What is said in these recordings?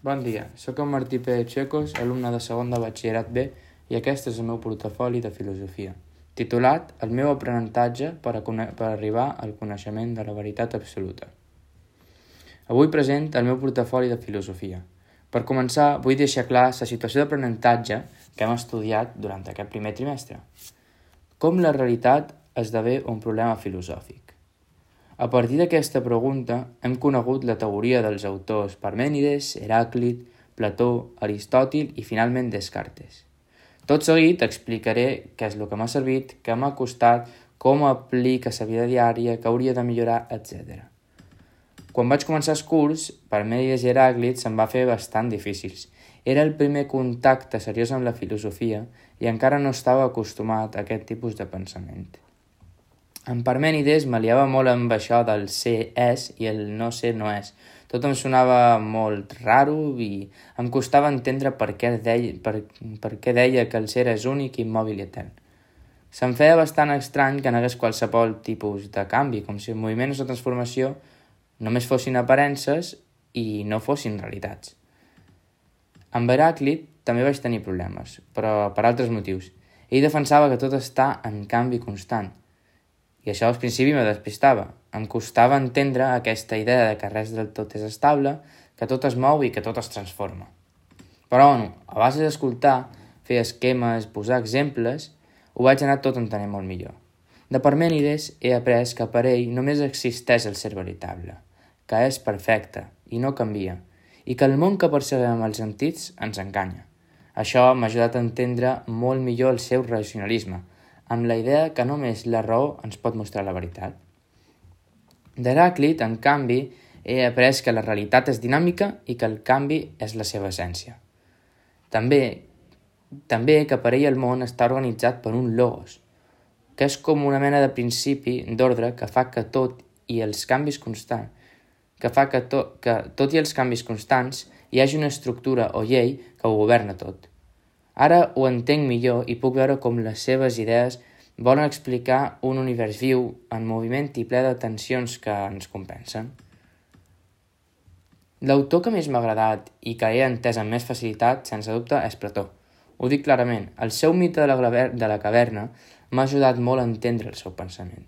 Bon dia, sóc en Martí Pérez Checos, alumne de segon de batxillerat B, i aquest és el meu portafoli de filosofia, titulat El meu aprenentatge per arribar al coneixement de la veritat absoluta. Avui present el meu portafoli de filosofia. Per començar, vull deixar clar la situació d'aprenentatge que hem estudiat durant aquest primer trimestre. Com la realitat esdevé un problema filosòfic. A partir d'aquesta pregunta hem conegut la teoria dels autors Parmènides, Heràclit, Plató, Aristòtil i finalment Descartes. Tot seguit explicaré què és el que m'ha servit, què m'ha costat, com aplica a la vida diària, què hauria de millorar, etc. Quan vaig començar el curs, Parmènides i Heràclit se'm va fer bastant difícils. Era el primer contacte seriós amb la filosofia i encara no estava acostumat a aquest tipus de pensament. En Parmènides me liava molt amb això del ser és i el no ser no és. Tot em sonava molt raro i em costava entendre per què deia que el ser és únic, immòbil i etern. Se'm feia bastant estrany que n'hagués qualsevol tipus de canvi, com si els moviments de transformació només fossin aparences i no fossin realitats. Amb Heràclit també vaig tenir problemes, però per altres motius. Ell defensava que tot està en canvi constant. I això al principi me despistava. Em costava entendre aquesta idea de que res del tot és estable, que tot es mou i que tot es transforma. Però, a base d'escoltar, fer esquemes, posar exemples, ho vaig anar tot entenent molt millor. De Parmènides he après que per ell només existeix el ser veritable, que és perfecte i no canvia, i que el món que percebem amb els sentits ens enganya. Això m'ha ajudat a entendre molt millor el seu racionalisme, amb la idea que només la raó ens pot mostrar la veritat. D'Heràclit, en canvi, he après que la realitat és dinàmica i que el canvi és la seva essència. També que per ell el món està organitzat per un logos, que és com una mena de principi d'ordre que fa que tot i els canvis constants hi hagi una estructura o llei que ho governa tot. Ara ho entenc millor i puc veure com les seves idees volen explicar un univers viu, en moviment i ple de tensions que ens compensen. L'autor que més m'ha agradat i que he entès amb més facilitat, sense dubte, és Plató. Ho dic clarament, el seu mite de la caverna m'ha ajudat molt a entendre el seu pensament.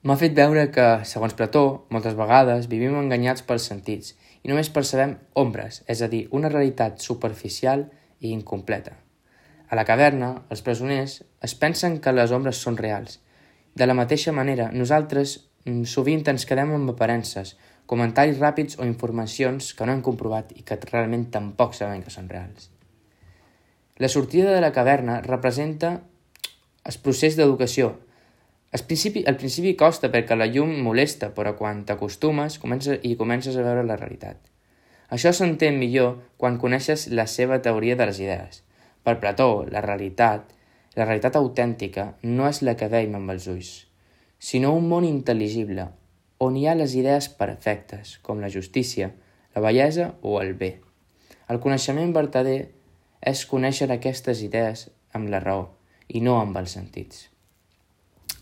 M'ha fet veure que, segons Plató, moltes vegades vivim enganyats pels sentits i només percebem ombres, és a dir, una realitat superficial i incompleta. A la caverna, els presoners es pensen que les ombres són reals. De la mateixa manera, nosaltres sovint ens quedem amb aparences, comentaris ràpids o informacions que no hem comprovat i que realment tampoc sabem que són reals. La sortida de la caverna representa el procés d'educació. Al principi costa perquè la llum molesta, però quan t'acostumes comences a veure la realitat. Això s'entén millor quan coneixes la seva teoria de les idees. Per Plató, la realitat autèntica no és la que veiem amb els ulls, sinó un món intel·ligible, on hi ha les idees perfectes, com la justícia, la bellesa o el bé. El coneixement vertader és conèixer aquestes idees amb la raó i no amb els sentits.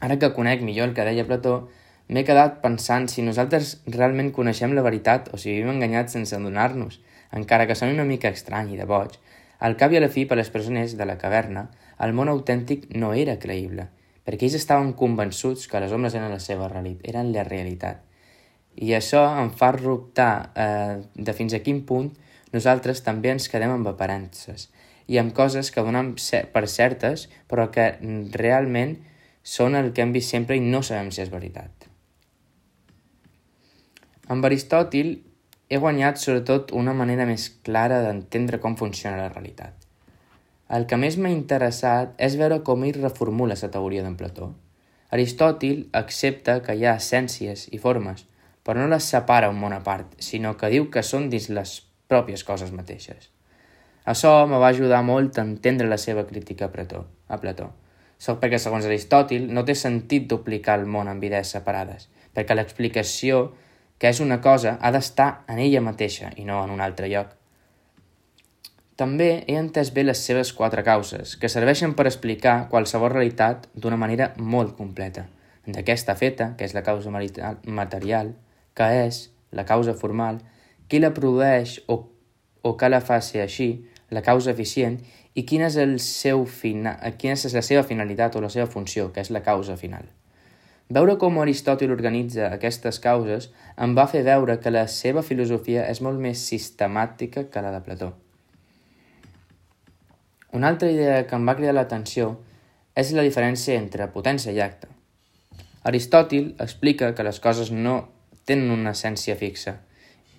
Ara que conec millor el que deia Plató, m'he quedat pensant si nosaltres realment coneixem la veritat o si vivim enganyats sense adonar-nos, encara que soni una mica estrany i de boig. Al cap i a la fi, per les persones de la caverna, el món autèntic no era creïble, perquè ells estaven convençuts que les ombres eren la realitat. I això em fa dubtar de fins a quin punt nosaltres també ens quedem amb aparences i amb coses que donem per certes, però que realment són el que hem vist sempre i no sabem si és veritat. Amb Aristòtil he guanyat sobretot una manera més clara d'entendre com funciona la realitat. El que més m'ha interessat és veure com ell reformula la teoria d'en Plató. Aristòtil accepta que hi ha essències i formes, però no les separa un món a part, sinó que diu que són dins les pròpies coses mateixes. Això me va ajudar molt a entendre la seva crítica a Plató. Perquè, segons Aristòtil, no té sentit duplicar el món amb idees separades, perquè l'explicació que és una cosa ha d'estar en ella mateixa i no en un altre lloc. També he entès bé les seves 4 causes, que serveixen per explicar qualsevol realitat d'una manera molt completa. De què està feta, que és la causa material, què és la causa formal, qui la produeix o o què la fa ser així, la causa eficient, i quina és la seva finalitat o la seva funció, que és la causa final. Veure com Aristòtil organitza aquestes causes em va fer veure que la seva filosofia és molt més sistemàtica que la de Plató. Una altra idea que em va cridar l'atenció és la diferència entre potència i acte. Aristòtil explica que les coses no tenen una essència fixa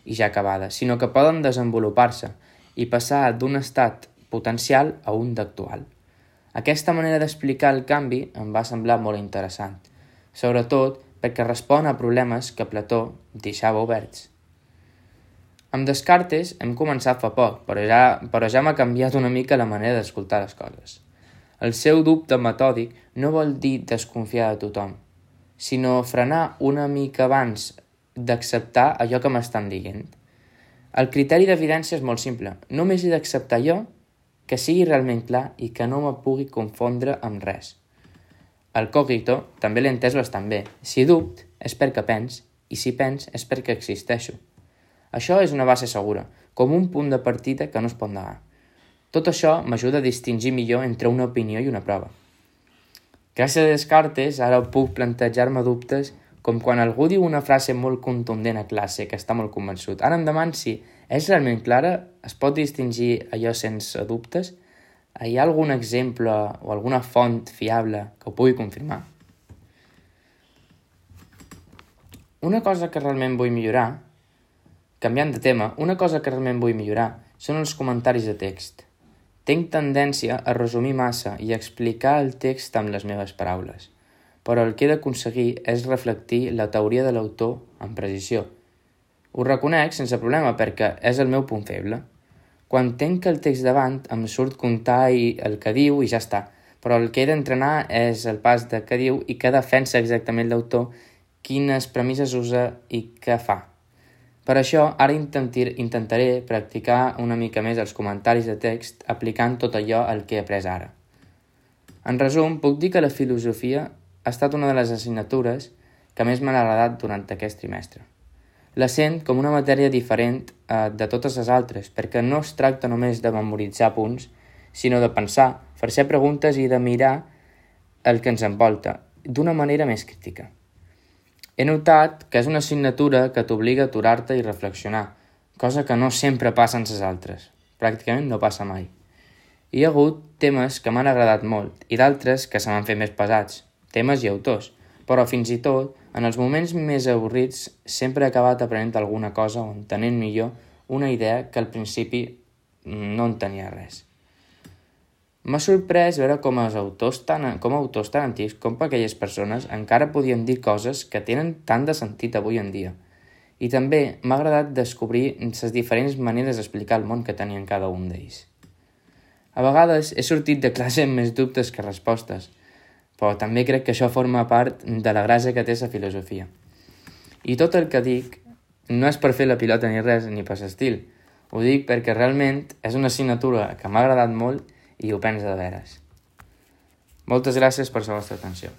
i ja acabada, sinó que poden desenvolupar-se i passar d'un estat potencial a un d'actual. Aquesta manera d'explicar el canvi em va semblar molt interessant, sobretot perquè respon a problemes que Plató deixava oberts. Amb Descartes hem començat fa poc, però ja m'ha canviat una mica la manera d'escoltar les coses. El seu dubte metòdic no vol dir desconfiar de tothom, sinó frenar una mica abans d'acceptar allò que m'estan dient. El criteri d'evidència és molt simple. Només he d'acceptar allò que sigui realment clar i que no me pugui confondre amb res. El cogito també l'he entès bastant bé. Si dubte és perquè pens, i si pens és perquè existeixo. Això és una base segura, com un punt de partida que no es pot negar. Tot això m'ajuda a distingir millor entre una opinió i una prova. Gràcies a Descartes, ara puc plantejar-me dubtes com quan algú diu una frase molt contundent a classe, que està molt convençut. Ara em demano si és realment clara, es pot distingir allò sense dubtes? Hi ha algun exemple o alguna font fiable que ho pugui confirmar? Una cosa que realment vull millorar, canviant de tema, són els comentaris de text. Tinc tendència a resumir massa i a explicar el text amb les meves paraules, però el que he d'aconseguir és reflectir la teoria de l'autor amb precisió. Ho reconec sense problema perquè és el meu punt feble. Quan tenc el text davant em surt comptar el que diu i ja està, però el que he d'entrenar és el pas de què diu i què defensa exactament l'autor, quines premisses usa i què fa. Per això, ara intentaré practicar una mica més els comentaris de text aplicant tot allò al que he après ara. En resum, puc dir que la filosofia ha estat una de les assignatures que més m'han agradat durant aquest trimestre. La sent com una matèria diferent de totes les altres, perquè no es tracta només de memoritzar punts, sinó de pensar, fer-se preguntes i de mirar el que ens envolta d'una manera més crítica. He notat que és una assignatura que t'obliga a aturar-te i reflexionar, cosa que no sempre passa en les altres. Pràcticament no passa mai. Hi ha hagut temes que m'han agradat molt i d'altres que se m'han fet més pesats, temes i autors, però fins i tot, en els moments més avorrits, sempre he acabat aprenent alguna cosa o entenent millor una idea que al principi no en tenia res. M'ha sorprès veure com autors tan antics com aquelles persones encara podien dir coses que tenen tant de sentit avui en dia. I també m'ha agradat descobrir les diferents maneres d'explicar el món que tenien cada un d'ells. A vegades he sortit de classe amb més dubtes que respostes, però també crec que això forma part de la gràcia que té la filosofia. I tot el que dic no és per fer la pilota ni res, ni per l'estil. Ho dic perquè realment és una assignatura que m'ha agradat molt i ho penso de veres. Moltes gràcies per la vostra atenció.